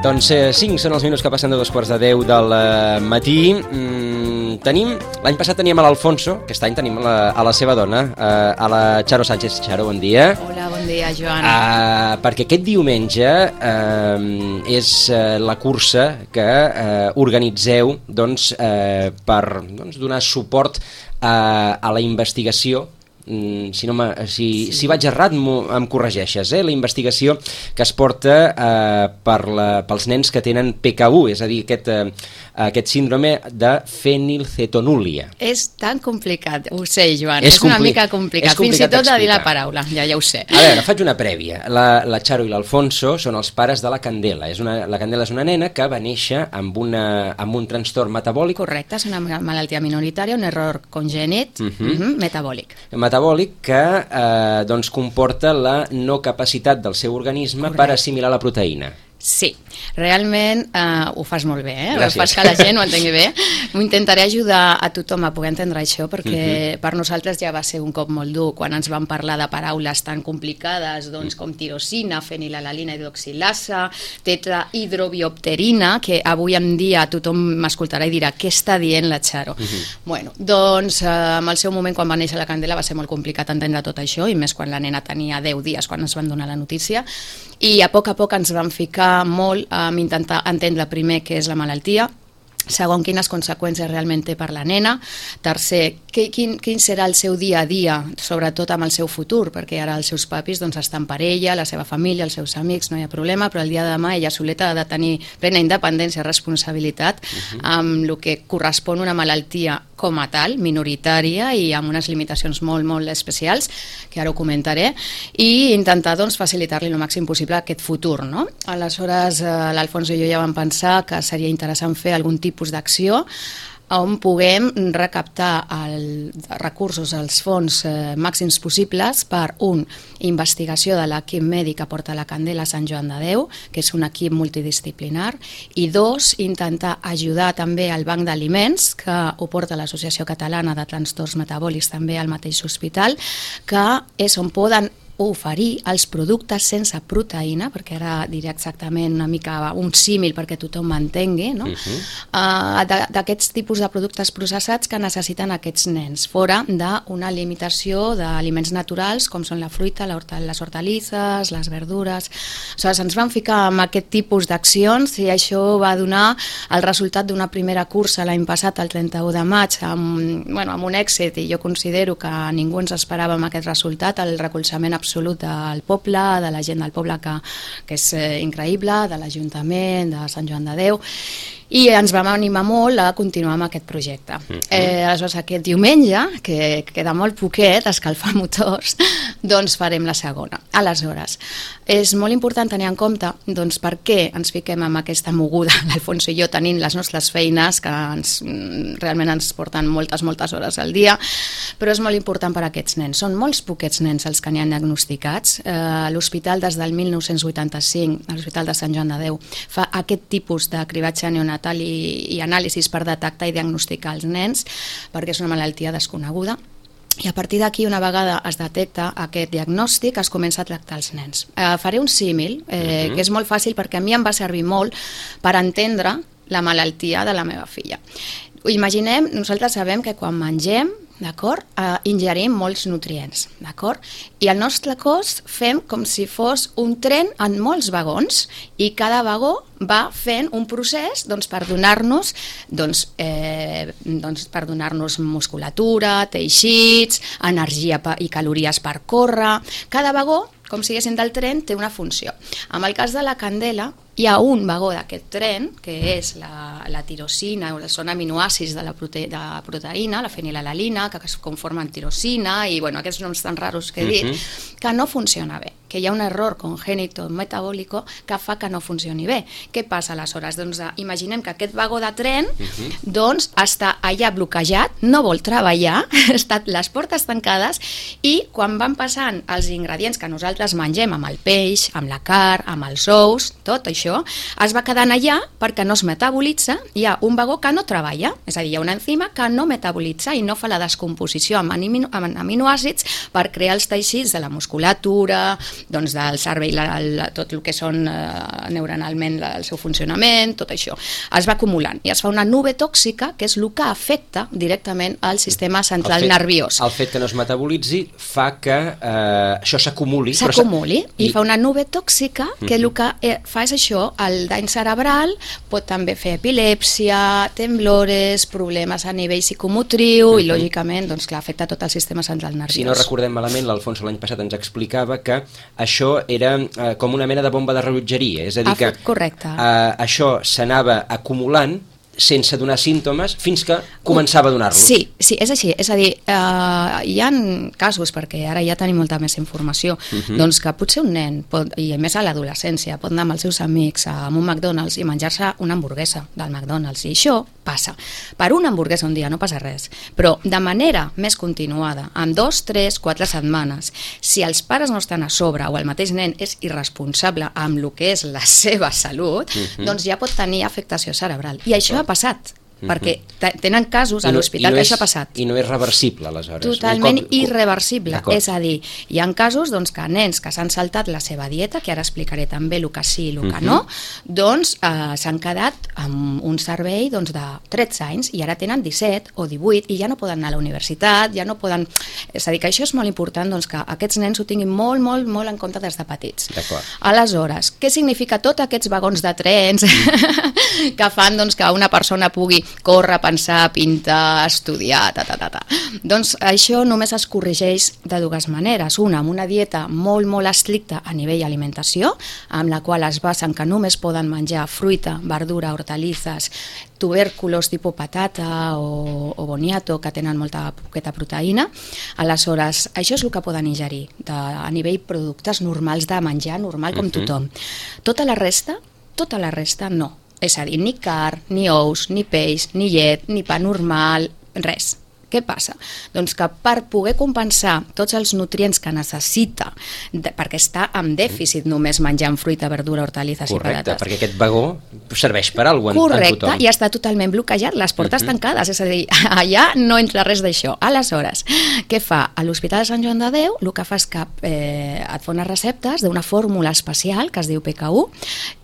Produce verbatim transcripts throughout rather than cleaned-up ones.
Doncs eh, cinc són els minuts que passen de dos quarts de deu del eh, matí. Mm, tenim, l'any passat teníem a l'Alfonso, aquest any tenim a la, a la seva dona, eh, a la Charo Sánchez. Charo, bon dia. Hola, bon dia, Joan. Uh, perquè aquest diumenge uh, és uh, la cursa que uh, organitzeu doncs, uh, per doncs, donar suport uh, a la investigació. Mm, si, no si, sí. si vaig errat em corregeixes, eh? La investigació que es porta eh, per la, pels nens que tenen P K U, és a dir, aquest, eh, aquest síndrome de fenilcetonúria. És tan complicat, ho sé, Joan, és, és una mica complicat, és complicat fins i tot de dir la paraula, ja, ja ho sé. A veure, faig una prèvia. La, la Charo i l'Alfonso són els pares de la Candela. És una, la Candela és una nena que va néixer amb, una, amb un trastorn metabòlic. Correcte, és una malaltia minoritària, un error congènit uh -huh. uh -huh, metabòlic. metabòlic que eh, doncs comporta la no capacitat del seu organisme Correcte. Per assimilar la proteïna. Sí, realment eh, ho fas molt bé, eh? Gràcies. Ho fas que la gent ho entengui bé. Intentaré ajudar a tothom a poder entendre això, perquè uh-huh. per nosaltres ja va ser un cop molt dur quan ens van parlar de paraules tan complicades doncs, com tirosina, fenilalalina hidroxilasa, tetrahidrobiopterina, que avui en dia tothom m'escoltarà i dirà què està dient la Charo. Uh-huh. Bueno, doncs eh, en el seu moment quan va néixer la Candela va ser molt complicat entendre tot això, i més quan la nena tenia deu dies quan ens van donar la notícia, i a poc a poc ens van ficar molt a intentar entendre primer què és la malaltia, segon, quines conseqüències realment té per la nena, tercer, que, quin, quin serà el seu dia a dia, sobretot amb el seu futur, perquè ara els seus papis doncs, estan per ella, la seva família, els seus amics, no hi ha problema, però el dia de demà ella soleta ha de tenir plena independència i responsabilitat uh-huh. amb el que correspon una malaltia com a tal, minoritària i amb unes limitacions molt, molt especials, que ara ho comentaré, i intentar doncs, facilitar-li el màxim possible aquest futur. No? Aleshores, eh, l'Alfonso i jo ja vam pensar que seria interessant fer algun tipus d'acció on puguem recaptar el, recursos als fons eh, màxims possibles per, un, investigació de l'equip mèdic que porta la Candela a Sant Joan de Déu, que és un equip multidisciplinar, i dos, intentar ajudar també al banc d'aliments, que ho porta l'Associació Catalana de Trastorns Metabòlics també al mateix hospital, que és on poden oferir els productes sense proteïna, perquè ara diré exactament una mica un símil perquè tothom m'entengui, no? uh-huh. uh, d'aquests tipus de productes processats que necessiten aquests nens, fora d'una limitació d'aliments naturals com són la fruita, les hortalisses, les verdures. Aleshores, ens vam ficar en aquest tipus d'accions i això va donar el resultat d'una primera cursa l'any passat, el trenta-u de maig, amb, bueno, amb un èxit, i jo considero que ningú ens esperava amb aquest resultat, el recolzament absolut del poble, de la gent del poble, que, que és eh, increïble, de l'Ajuntament, de Sant Joan de Déu, i ens vam animar molt a continuar amb aquest projecte. Uh-huh. Eh, aleshores, aquest diumenge, que queda molt poquet, escalfar motors, doncs farem la segona. Aleshores, és molt important tenir en compte doncs, per què ens fiquem amb aquesta moguda, l'Alfonso i jo, tenint les nostres feines, que ens, realment ens porten moltes, moltes hores al dia, però és molt important per a aquests nens. Són molts poquets nens els que n'hi han diagnosticats. Eh, L'hospital, des del mil nou-cents vuitanta-cinc, l'Hospital de Sant Joan de Déu, fa aquest tipus de cribatge neonatal i, i anàlisis per detectar i diagnosticar els nens, perquè és una malaltia desconeguda. I a partir d'aquí, una vegada es detecta aquest diagnòstic, es comença a tractar els nens. Eh, faré un símil, eh, uh-huh. que és molt fàcil perquè a mi em va servir molt per entendre la malaltia de la meva filla. Imaginem, nosaltres sabem que quan mengem, d'acord, eh, ingerim molts nutrients, d'acord? I el nostre cos fem com si fos un tren en molts vagons, i cada vagó va fent un procés doncs, per donar-nos doncs, eh, doncs, per donar-nos musculatura, teixits, energia i calories per córrer. Cada vagó com si haguessin del tren, té una funció. En el cas de la candela, hi ha un vagó d'aquest tren, que és la, la tirosina, són aminoàcids de la, prote, de la proteïna, la fenilalalina, que es conformen tirosina, i bueno, aquests noms tan raros que he dit, uh-huh. que no funciona bé, que hi ha un error congènito metabòlico que fa que no funcioni bé. Què passa aleshores? Doncs imaginem que aquest vagó de tren uh-huh. doncs està allà bloquejat, no vol treballar, estan les portes tancades, i quan van passant els ingredients que nosaltres mengem amb el peix, amb la carn, amb els ous, tot això, es va quedant allà perquè no es metabolitza, hi ha un vagó que no treballa, és a dir, hi ha una enzima que no metabolitza i no fa la descomposició amb, amino, amb aminoàcids per crear els teixits de la musculatura, doncs del cervell, la, la, tot el que són eh, neuronalment la, el seu funcionament, tot això. Es va acumulant i es fa una nube tòxica que és el que afecta directament al sistema central el fet, nerviós. El fet que no es metabolitzi fa que eh, això s'acumuli. S'acumuli i, i fa una nube tòxica que uh-huh. el que eh, fa és això. El dany cerebral pot també fer epilèpsia, temblores, problemes a nivell psicomotriu uh-huh. i lògicament doncs, clar, afecta tot el sistema central nerviós. Si no recordem malament, l'Alfonso l'any passat ens explicava que això era eh, com una mena de bomba de rellotgeria, és a dir que correcte. Eh, això s'anava acumulant sense donar símptomes fins que començava a donar-los. Sí, sí, és així. És a dir, eh, hi ha casos, perquè ara ja tenim molta més informació, uh-huh. doncs que potser un nen, pot, i més a l'adolescència, pot anar amb els seus amics a un McDonald's i menjar-se una hamburguesa del McDonald's, i això passa. Per una hamburguesa un dia no passa res, però de manera més continuada, en dos, tres, quatre setmanes, si els pares no estan a sobre o el mateix nen és irresponsable amb el que és la seva salut, uh-huh. doncs ja pot tenir afectació cerebral. I això ha passat, uh-huh. perquè tenen casos a l'hospital no, no que és, això ha passat. I no és reversible, aleshores. Totalment cop... irreversible. És a dir, hi ha casos doncs, que nens que s'han saltat la seva dieta, que ara explicaré també el que sí i el que uh-huh. no, doncs eh, s'han quedat amb un cervell doncs, de tretze anys i ara tenen disset o divuit i ja no poden anar a la universitat, ja no poden... És a dir, que això és molt important doncs, que aquests nens ho tinguin molt, molt, molt en compte des de petits. D'acord. Aleshores, què significa tots aquests vagons de trens que fan doncs, que una persona pugui córrer, pensar, pintar, estudiar, ta, ta, ta, ta. Doncs això només es corregeix de dues maneres. Una, amb una dieta molt, molt estricta a nivell alimentació, amb la qual es basen que només poden menjar fruita, verdura, hortalisses, tubèrculos tipus patata o, o boniato, que tenen molta poqueta proteïna. Aleshores, això és el que poden ingerir de, a nivell productes normals de menjar, normal com uh-huh. tothom. Tota la resta, tota la resta no. És a dir, ni carn, ni ous, ni peix, ni llet, ni pa normal, res. Què passa? Doncs que per poder compensar tots els nutrients que necessita, de, perquè està en dèficit només menjant fruita, verdura, hortalisses i patates. Correcte, perquè aquest vagó serveix per alguna cosa en tothom. Correcte, i està totalment bloquejat, les portes uh-huh. tancades, és a dir, allà no entra res d'això. Aleshores, què fa? A l'Hospital de Sant Joan de Déu el que fa és que eh, et fa unes receptes d'una fórmula especial que es diu P K U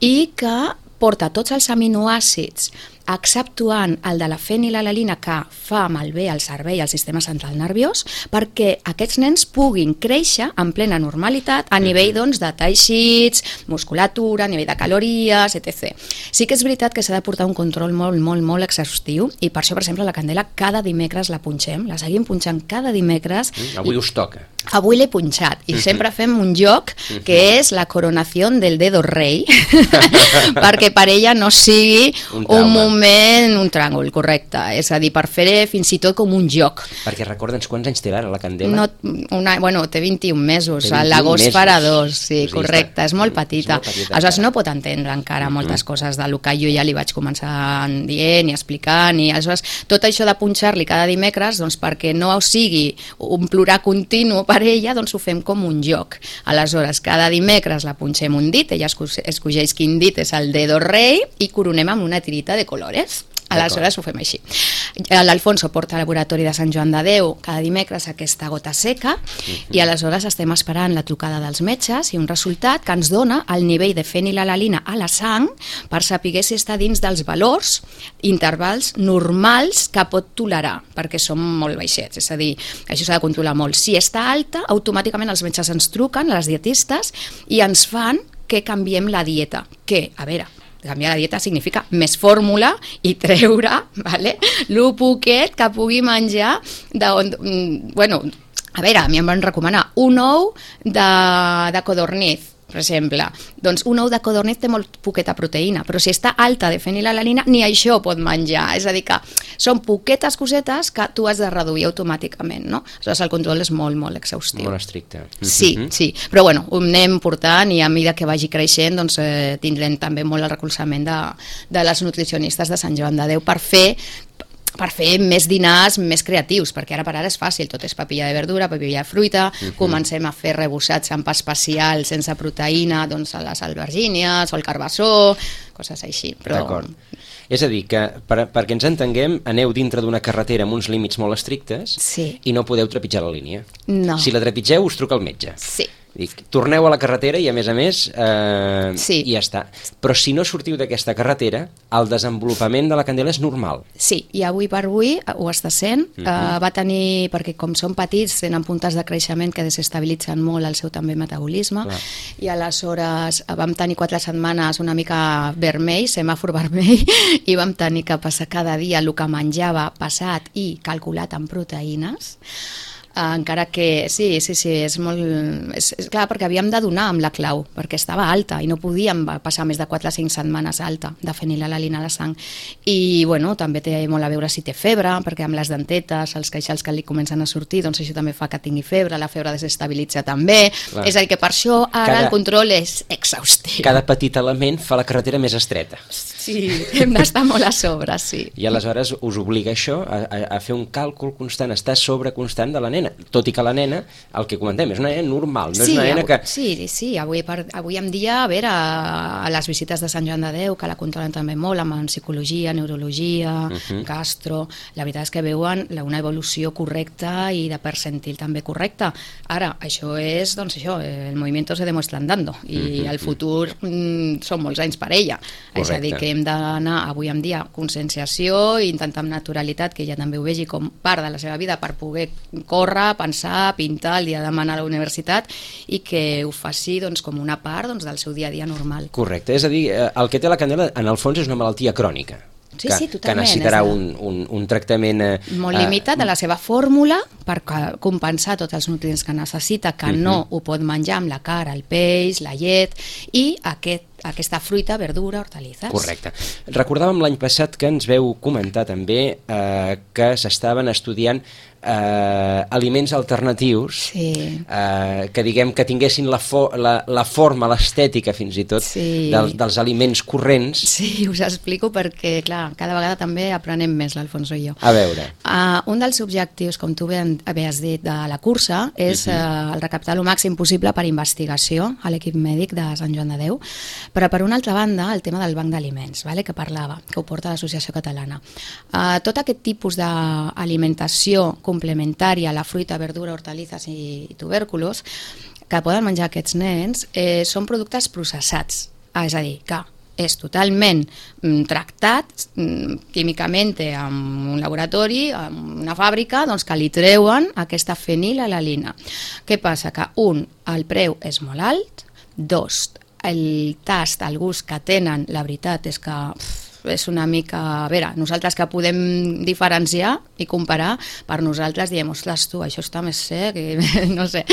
i que porta tots els aminoàcids exceptuant el de la fenilalalina que fa malbé al cervell i al sistema central nerviós perquè aquests nens puguin créixer en plena normalitat a nivell doncs, de teixits, musculatura, a nivell de calories, etcètera. Sí que és veritat que s'ha de portar un control molt, molt, molt exhaustiu i per això, per exemple, la candela cada dimecres la punxem, la seguim punxant cada dimecres. Avui us toca. Avui l'he punxat i sempre fem un joc que és la coronació del dedo rei perquè per ella no sigui un, un moment, un tràngol, correcte, és a dir, per fer fins i tot com un joc. Perquè recorda'ns quants anys té ara la candela? No, una, bueno, té vint-i-un mesos, a l'agost farà dos, sí, doncs correcte, és molt petita. És molt petita aleshores no pot entendre encara uh-huh. moltes coses del que jo ja li vaig començar dient i explicant, i aleshores tot això de punxar-li cada dimecres, doncs perquè no sigui un plorar continu per ella, doncs ho fem com un joc. Aleshores, cada dimecres la punxem un dit, ella escogeix quin dit és el dedo rei i coronem amb una tirita de colores. Aleshores ho fem així. L'Alfonso porta al laboratori de Sant Joan de Déu cada dimecres aquesta gota seca uh-huh. i aleshores estem esperant la trucada dels metges i un resultat que ens dona el nivell de fenilalalina a la sang per saber si està dins dels valors, intervals normals que pot tolerar, perquè són molt baixets, és a dir, això s'ha de controlar molt. Si està alta, automàticament els metges ens truquen, les dietistes, i ens fan que canviem la dieta, que, a veure, canviar la dieta significa més fórmula i treure, vale, lo poquet que pugui menjar de on, bueno, A veure, a mi em van recomanar un ou de, de codorniz, per exemple. Doncs un ou de codorniz té molt poqueta proteïna, però si està alta de fenilalanina, ni això pot menjar. És a dir, que són poquetes cosetes que tu has de reduir automàticament, no? Aleshores, el control és molt, molt exhaustiu. Molt estricte. Sí, mm-hmm. sí. Però bueno, ho anem portant i a mesura que vagi creixent, doncs eh, tindrem també molt el recolzament de, de les nutricionistes de Sant Joan de Déu per fer per fer més dinars més creatius, perquè ara per ara és fàcil, tot és papilla de verdura, papilla de fruita, uh-huh. comencem a fer rebossats amb pa especial sense proteïna, doncs a les albergínies o el carbassó, coses així. Però... D'acord. És a dir, que per, perquè ens entenguem, aneu dintre d'una carretera amb uns límits molt estrictes sí. i no podeu trepitjar la línia. No. Si la trepitgeu, us truca el metge. Sí. Dic, torneu a la carretera i a més a més eh, sí. i ja està. Però si no sortiu d'aquesta carretera, el desenvolupament de la candela és normal. Sí, i avui per avui ho està sent. Uh-huh. uh, va tenir, perquè com són petits tenen puntes de creixement que desestabilitzen molt el seu també metabolisme. Clar. I aleshores vam tenir quatre setmanes una mica vermell, semàfor vermell, i vam tenir que passar cada dia el que menjava passat i calculat en proteïnes. Uh, encara que sí, sí, sí, és molt... És, és clar, perquè havíem de donar amb la clau, perquè estava alta i no podíem passar més de quatre o cinc setmanes alta de fenilalanina a la sang. I, bueno, també té molt a veure si té febre, perquè amb les dentetes, els queixals que li comencen a sortir, doncs això també fa que tingui febre, la febre desestabilitza també. Clar. És a dir, que per això ara cada, el control és exhaustiu. Cada petit element fa la carretera més estreta. Sí, hem d'estar molt a sobre, sí. I aleshores us obliga això a, a, a fer un càlcul constant, estar sobre constant de la nena, tot i que la nena, el que comentem, és una nena normal, no sí, és una nena avui, que... Sí, sí, avui, per, avui en dia, a veure, a, a les visites de Sant Joan de Déu, que la controlen també molt, amb psicologia, neurologia, uh-huh. gastro, la veritat és que veuen una evolució correcta i de percentil també correcta. Ara, això és, doncs això, el movimiento se demuestra andando, i uh-huh. el futur mm, són molts anys per ella. Correcte. És a dir, que hem d'anar avui en dia conscienciació i intentar amb naturalitat que ella també ho vegi com part de la seva vida per poder córrer, pensar, pintar el dia de demà a la universitat i que ho faci doncs, com una part doncs, del seu dia a dia normal. Correcte, és a dir, el que té la candela en el fons és una malaltia crònica. Sí, que, sí, que necessitarà un, un, un tractament... Eh, molt limitat de la seva fórmula per compensar tots els nutrients que necessita, que uh-huh. no ho pot menjar amb la carn, el peix, la llet i aquest aquesta fruita, verdura, hortalisses. Correcte. Recordàvem l'any passat que ens veu comentar també eh, que s'estaven estudiant eh, aliments alternatius sí. eh, que diguem que tinguessin la, fo la, la forma, l'estètica fins i tot sí. del, dels aliments corrents. Sí, us explico perquè, clar, cada vegada també aprenem més l'Alfonso i jo. A veure. Uh, un dels objectius, com tu bé havies dit, de la cursa és uh-huh. uh, el recaptar el màxim possible per investigació a l'equip mèdic de Sant Joan de Déu. Però per una altra banda, el tema del banc d'aliments, vale, que parlava, que ho porta l'Associació Catalana. Uh, tot aquest tipus d'alimentació complementària a la fruita, verdura, hortalisses i, i tubèrculos que poden menjar aquests nens eh, són productes processats, ah, és a dir, que és totalment mm, tractat mm, químicament en un laboratori, en una fàbrica, doncs que li treuen aquesta fenilalanina. Què passa? Que un, el preu és molt alt, dos, el tast, el gust que tenen, la veritat és que pff, és una mica... A veure, nosaltres que podem diferenciar i comparar, per nosaltres diem, ostres, tu, això està més sec, i no sé.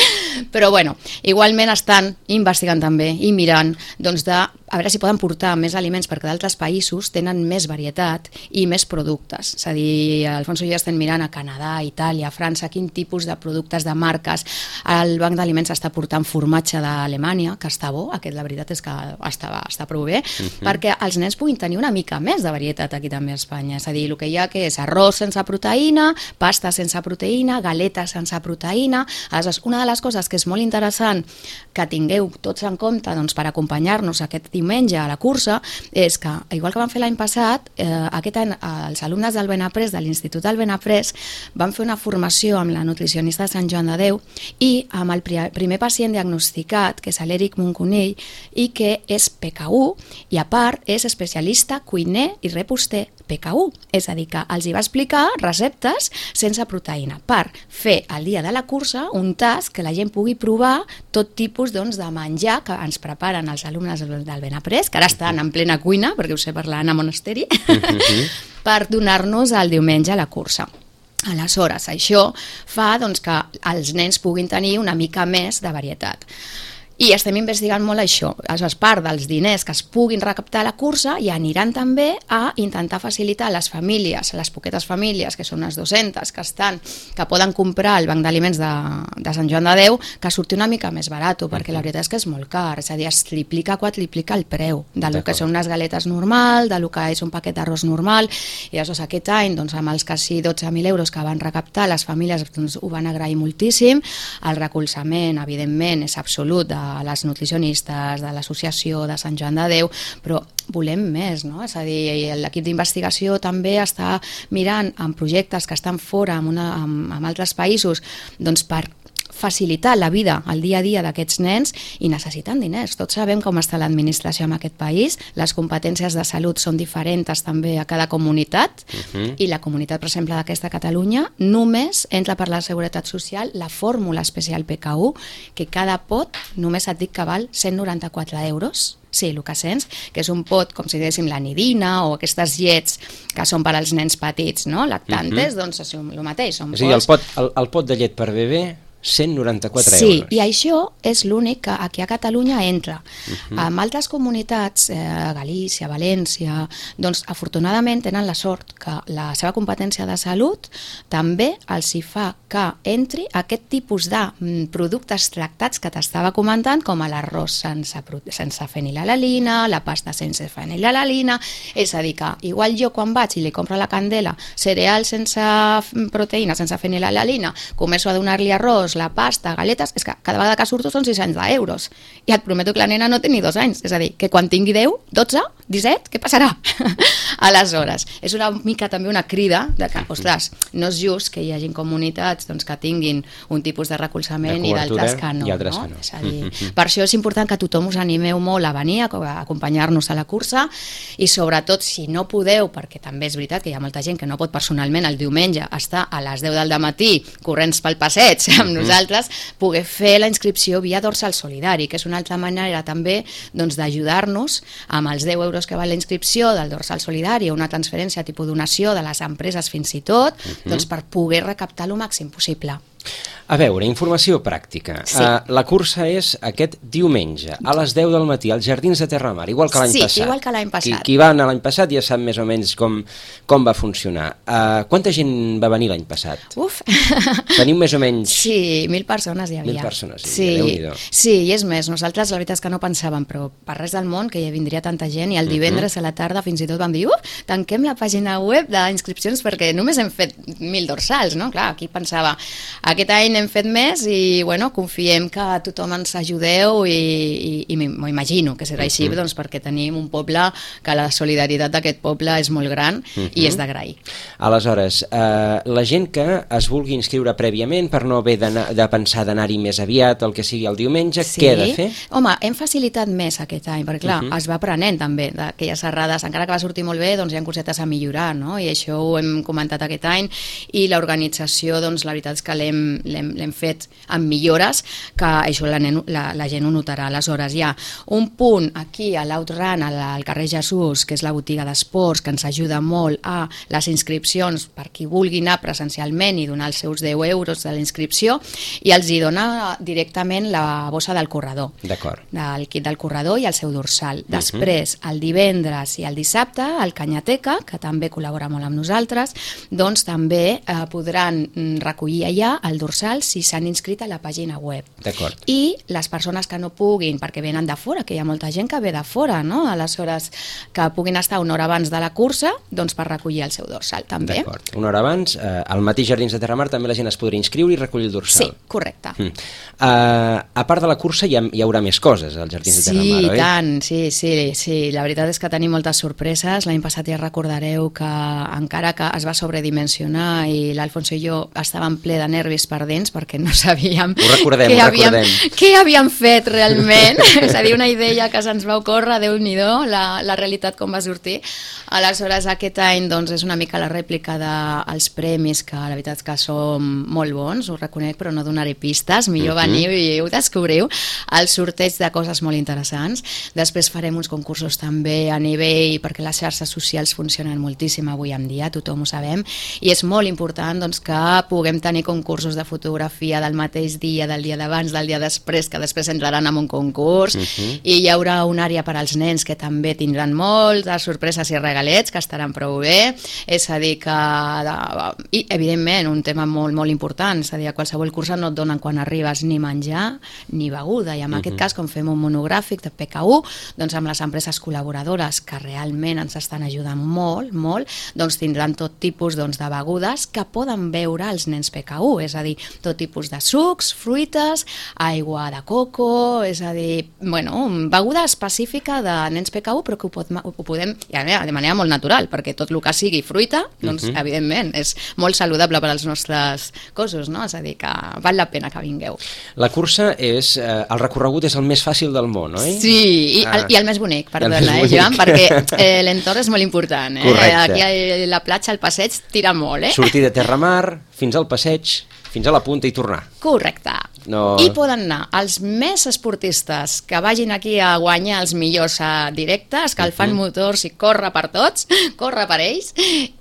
Però bueno, igualment estan investigant també i mirant doncs de a veure si poden portar més aliments perquè d'altres països tenen més varietat i més productes. És a dir, Alfonso i jo estem mirant a Canadà, Itàlia, França, quin tipus de productes, de marques. El banc d'aliments està portant formatge d'Alemanya, que està bo, aquest la veritat és que està, està prou bé, uh-huh. perquè els nens puguin tenir una mica més de varietat aquí també a Espanya. És a dir, el que hi ha que és arròs sense proteïna, pasta sense proteïna, galetes sense proteïna. Aleshores, una de les coses que és molt interessant que tingueu tots en compte doncs, per acompanyar-nos aquest diumenge a la cursa és que, igual que vam fer l'any passat, eh, aquest any els alumnes del Benaprés, de l'Institut del Benaprés, van fer una formació amb la nutricionista de Sant Joan de Déu i amb el primer pacient diagnosticat, que és l'Eric Moncunill, i que és P K U, i a part és especialista, cuiner i reposter P K U. És a dir, que els hi va explicar receptes sense proteïna per fer el dia de la cursa un tast que la gent pugui provar tot tipus doncs, de menjar que ens preparen els alumnes del Benaprés, que ara estan en plena cuina, perquè ho sé per l'Anna Monasteri, uh-huh. per donar-nos el diumenge a la cursa. Aleshores, això fa doncs, que els nens puguin tenir una mica més de varietat. I estem investigant molt això. Aleshores, part dels diners que es puguin recaptar a la cursa i aniran també a intentar facilitar a les famílies, a les poquetes famílies, que són unes dues-centes, que estan, que poden comprar el banc d'aliments de, de Sant Joan de Déu, que surti una mica més barat, perquè la veritat és que és molt car, és a dir, es triplica, quadriplica el preu del que són unes galetes normal, del que és un paquet d'arròs normal, i aleshores aquest any, doncs, amb els quasi dotze mil euros que van recaptar, les famílies doncs, ho van agrair moltíssim, el recolzament, evidentment, és absolut de a les nutricionistes, de l'associació de Sant Joan de Déu, però volem més, no? És a dir, l'equip d'investigació també està mirant en projectes que estan fora, amb, una, amb, amb altres països, doncs per facilitar la vida, el dia a dia d'aquests nens, i necessiten diners. Tots sabem com està l'administració en aquest país, les competències de salut són diferents també a cada comunitat, uh-huh. i la comunitat, per exemple, d'aquesta Catalunya, només entra per la Seguretat Social la fórmula especial P K U, que cada pot, només et dic que val cent noranta-quatre euros, sí, el que sents, que és un pot, com si diguéssim la nidina o aquestes llets que són per als nens petits, no? Lactantes, uh-huh. doncs és el mateix. Són és a dir, el pot, el, el pot de llet per bebè, cent noranta-quatre sí, euros. Sí, i això és l'únic que aquí a Catalunya entra. Uh-huh. En altres comunitats, eh, Galícia, València, doncs afortunadament tenen la sort que la seva competència de salut també els hi fa que entri aquest tipus de mm, productes tractats que t'estava comentant, com l'arròs sense, sense fenilalalina, la pasta sense fenilalalina, és a dir que igual jo quan vaig i li compro a la Candela cereal sense proteïna, sense fenilalalina, començo a donar-li arròs, la pasta, galetes, és que cada vegada que surto són sis-cents euros. I et prometo que la nena no té ni dos anys. És a dir, que quan tingui deu, dotze, disset, què passarà? Aleshores, és una mica també una crida de que, ostres, no és just que hi hagin comunitats doncs, que tinguin un tipus de recolzament i d'altres que no. I altres no? que no. És a dir, per això és important que tothom us animeu molt a venir, a acompanyar-nos a la cursa, i sobretot, si no podeu, perquè també és veritat que hi ha molta gent que no pot personalment el diumenge estar a les deu del matí corrents pel passeig amb nosaltres, poder fer la inscripció via dorsal solidari, que és una altra manera també doncs, d'ajudar-nos amb els deu euros que val la inscripció del dorsal solidari o una transferència tipus donació de les empreses fins i tot, uh-huh. doncs per poder recaptar el màxim possible. A veure, informació pràctica. Sí. Uh, la cursa és aquest diumenge, a les deu del matí, als Jardins de Terramar, igual que l'any sí, passat. Sí, igual que l'any passat. Qui, qui va anar l'any passat ja sap més o menys com, com va funcionar. Uh, quanta gent va venir l'any passat? Uf! Teniu més o menys... Sí, mil persones hi havia. Mil persones, sí, Déu-n'hi-do. Sí, i és més, nosaltres la veritat és que no pensàvem, però per res del món que hi vindria tanta gent, i el divendres uh-huh. a la tarda fins i tot vam dir, uf, tanquem la pàgina web d'inscripcions perquè només hem fet mil dorsals, no? Clar, aquí pensava, aquest any hem fet més i bueno, confiem que tothom ens ajudeu i, i, i m'ho imagino que serà així, uh-huh. doncs, perquè tenim un poble que la solidaritat d'aquest poble és molt gran uh-huh. i és d'agrair. Aleshores, eh, la gent que es vulgui inscriure prèviament per no haver de pensar d'anar-hi més aviat, el que sigui el diumenge, sí. què ha de fer? Home, hem facilitat més aquest any, perquè clar, uh-huh. es va aprenent també d'aquelles errades, encara que va sortir molt bé, doncs hi ha cosetes a millorar, no? I això ho hem comentat aquest any, i l'organització, doncs la veritat és que l'hem l'hem fet amb millores, que això la, la, la gent ho notarà. Aleshores hi ha un punt aquí a l'Outrun, al carrer Jesús, que és la botiga d'esports, que ens ajuda molt a les inscripcions per qui vulgui anar presencialment i donar els seus deu euros de la inscripció, i els hi dona directament la bossa del corredor. D'acord. Del kit del corredor i el seu dorsal. Després, el divendres i el dissabte, el Canyateca, que també col·labora molt amb nosaltres, doncs també eh, podran recollir allà el dorsal si s'han inscrit a la pàgina web. D'acord. I les persones que no puguin, perquè venen de fora, que hi ha molta gent que ve de fora, no? Aleshores, que puguin estar una hora abans de la cursa, doncs per recollir el seu dorsal, també. D'acord. Una hora abans, eh, al mateix Jardins de Terramar també la gent es podria inscriure i recollir el dorsal. Sí, correcte. Mm. Uh, a part de la cursa hi ha, hi haurà més coses als Jardins sí, de Terramar, oi? Sí, tant, sí, sí, sí. La veritat és que tenim moltes sorpreses. L'any passat ja recordareu que encara que es va sobredimensionar i l'Alfonso i jo estàvem ple de nervis per dents, nens perquè no sabíem ho recordem, què, ho havíem, recordem. què havíem fet realment. És a dir, una idea que se'ns va ocórrer, Déu-n'hi-do, la, la realitat com va sortir. Aleshores, aquest any doncs, és una mica la rèplica dels premis, que la veritat és que són molt bons, ho reconec, però no donaré pistes, millor uh-huh. veniu i ho descobriu. El sorteig de coses molt interessants. Després farem uns concursos també a nivell, perquè les xarxes socials funcionen moltíssim avui en dia, tothom ho sabem, i és molt important doncs, que puguem tenir concursos de fotografia del mateix dia, del dia d'abans, del dia després, que després entraran en un concurs, uh-huh. i hi haurà una àrea per als nens que també tindran moltes sorpreses i regalets, que estaran prou bé, és a dir que, i evidentment un tema molt, molt important, és a dir, a qualsevol cursa no et donen quan arribes ni menjar ni beguda, i en uh-huh. aquest cas, com fem un monogràfic de P K U, doncs amb les empreses col·laboradores que realment ens estan ajudant molt, molt, doncs tindran tot tipus doncs, de begudes que poden beure els nens P K U, és a dir, tot tipus de sucs, fruites, aigua de coco, és a dir, bueno, beguda específica de nens P K U, però que ho, pot, ho podem, de manera molt natural, perquè tot el que sigui fruita, doncs, uh-huh. evidentment, és molt saludable per als nostres cossos, no? És a dir, que val la pena que vingueu. La cursa és, eh, el recorregut és el més fàcil del món, oi? Sí, i, ah. el, i el més bonic, perdona, eh, Joan, perquè eh, l'entorn és molt important, eh? Correcte. Aquí a la platja, al passeig, tira molt, eh? Sortir de Terramar, fins al passeig, fins a la punta i tornar. Correcte. No... I poden anar els més esportistes que vagin aquí a guanyar els millors directes, que el fan uh-huh. motors i corre per tots, corre per ells,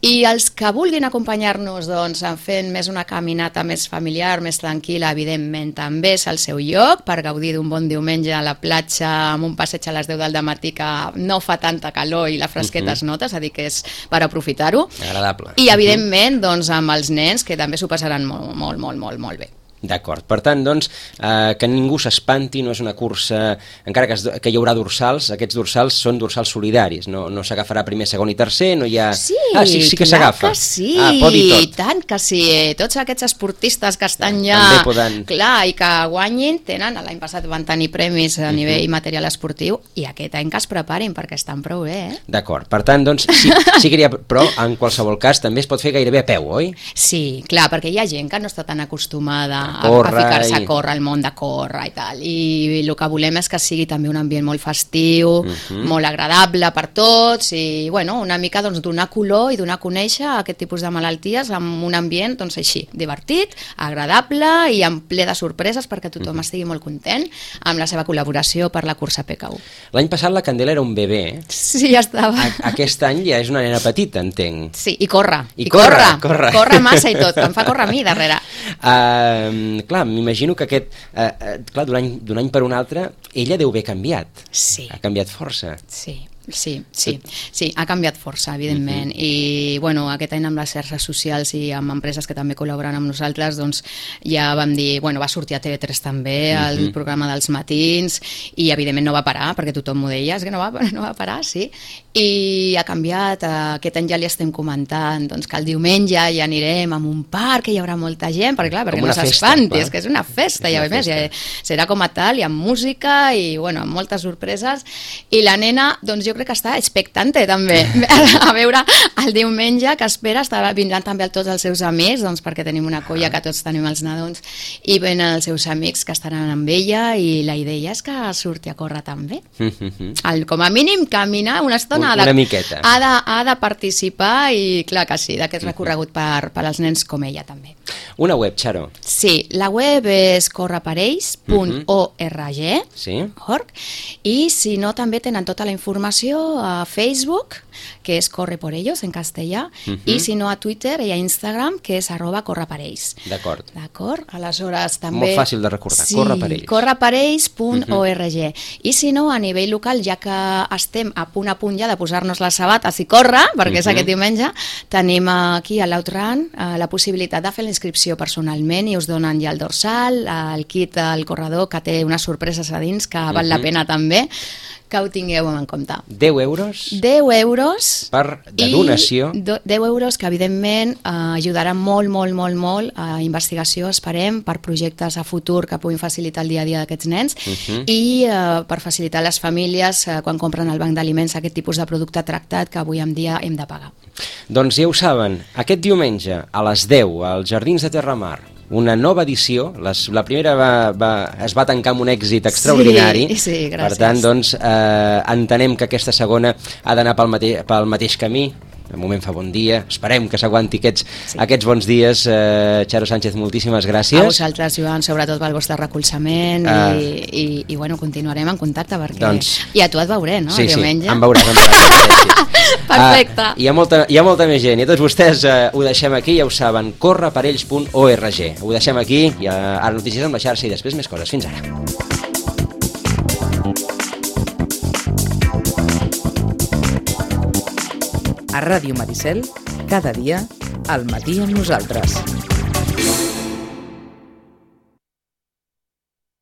i els que vulguin acompanyar-nos doncs, fent més una caminata més familiar, més tranquil·la, evidentment també és el seu lloc per gaudir d'un bon diumenge a la platja amb un passeig a les deu del matí que no fa tanta calor i la fresqueta uh-huh. es nota, és a dir, que és per aprofitar-ho. Agradable. I evidentment doncs, amb els nens que també s'ho passaran molt, molt, molt, molt, molt bé. D'acord, per tant, doncs, eh, que ningú s'espanti, no és una cursa, encara que, es, que hi haurà dorsals, aquests dorsals són dorsals solidaris, no, no s'agafarà primer, segon i tercer, no hi ha... Sí, ah, sí, sí que s'agafa. Que sí, ah, pot dir tot. I tant que sí, tots aquests esportistes que estan ja... També poden... Clar, i que guanyin, tenen, l'any passat van tenir premis a nivell uh-huh. material esportiu, i aquest any que es preparin, perquè estan prou bé, eh? D'acord, per tant, doncs, sí, sí que hi ha, però en qualsevol cas també es pot fer gairebé a peu, oi? Sí, clar, perquè hi ha gent que no està tan acostumada a, Corre, a ficar-se i... a córrer, al món de córrer i tal, i el que volem és que sigui també un ambient molt festiu, uh-huh. molt agradable per tots, i bueno, una mica doncs, donar color i donar a conèixer aquest tipus de malalties amb un ambient doncs, així, divertit, agradable i amb ple de sorpreses perquè tothom uh-huh. estigui molt content amb la seva col·laboració per la cursa P K U. L'any passat la Candela era un bebè. Sí, ja estava. A aquest any ja és una nena petita, entenc. Sí, i corre. I, I corre, corre. Corre massa i tot, que em fa córrer a mi darrere. Uh, clar, m'imagino que aquest, uh, uh, clar, d'un any, d'un any per un altre, ella deu haver canviat. Sí. Ha canviat força. Sí. Sí, sí, sí, ha canviat força, evidentment, uh-huh. i bueno, aquest any amb les xarxes socials i amb empreses que també col·laboren amb nosaltres, doncs ja vam dir, bueno, va sortir a T V tres també, el uh-huh. programa dels matins, i evidentment no va parar, perquè tothom m'ho deia, és que no va, no va parar, sí, i ha canviat, aquest any ja li estem comentant, doncs que el diumenge ja anirem a un parc, que hi haurà molta gent, perquè clar, perquè no s'espanti, és que és una festa, és ja una festa. Més, ja, serà com a tal, i amb música, i bueno, amb moltes sorpreses, i la nena, doncs jo crec que està expectante també a veure el diumenge que espera, estarà, vindran també tots els seus amics, doncs perquè tenim una colla que tots tenim els nadons i venen els seus amics que estaran amb ella i la idea és que surti a córrer també. El, com a mínim caminar una estona, una ha de, miqueta. Ha de, ha de participar i clar que sí, d'aquest recorregut per, per als nens com ella també. Una web, Xaro. Sí, la web és correparells punt org sí. i si no també tenen tota la informació a Facebook, que és Corre por ellos en castellà, uh-huh. i si no a Twitter i a Instagram, que és arroba correparells. D'acord. D'acord? Aleshores també... Molt fàcil de recordar, sí, correparells. correparells punt org. Uh-huh. I si no, a nivell local, ja que estem a punt a punt ja de posar-nos les sabates i córrer, perquè uh-huh. és aquest diumenge, tenim aquí a l'Outran la possibilitat de fer la inscripció personalment i us donen ja el dorsal, el kit al corredor que té unes sorpreses a dins que val uh-huh. la pena també que ho tingueu en compte. deu euros? deu euros. Per de donació. I deu euros que, evidentment, eh, ajudaran molt, molt, molt, molt a investigació, esperem, per projectes a futur que puguin facilitar el dia a dia d'aquests nens uh-huh. i eh, per facilitar les famílies eh, quan compren al banc d'aliments aquest tipus de producte tractat que avui en dia hem de pagar. Doncs ja ho saben, aquest diumenge a les deu als Jardins de Terramar, una nova edició. Les, la primera va, va, es va tancar amb un èxit extraordinari. Sí, sí, gràcies. Per tant, doncs, eh, entenem que aquesta segona ha d'anar pel, mate pel mateix camí. De moment fa bon dia, esperem que s'aguanti aquests, sí. aquests bons dies. eh, Charo Sánchez, moltíssimes gràcies. A vosaltres, Joan, sobretot pel vostre recolzament uh, i, i, i bueno, continuarem en contacte perquè... Doncs, i a tu et veuré, no? Sí, diumenge. Sí, em veuràs, em veuràs. Perfecte. Uh, hi, ha molta, hi ha molta més gent i a tots vostès uh, ho deixem aquí, ja ho saben, corre per ells punt org. Ho deixem aquí, i uh, ara notícies amb la xarxa i després més coses. Fins ara. A Ràdio Maricel, cada dia, al matí amb nosaltres.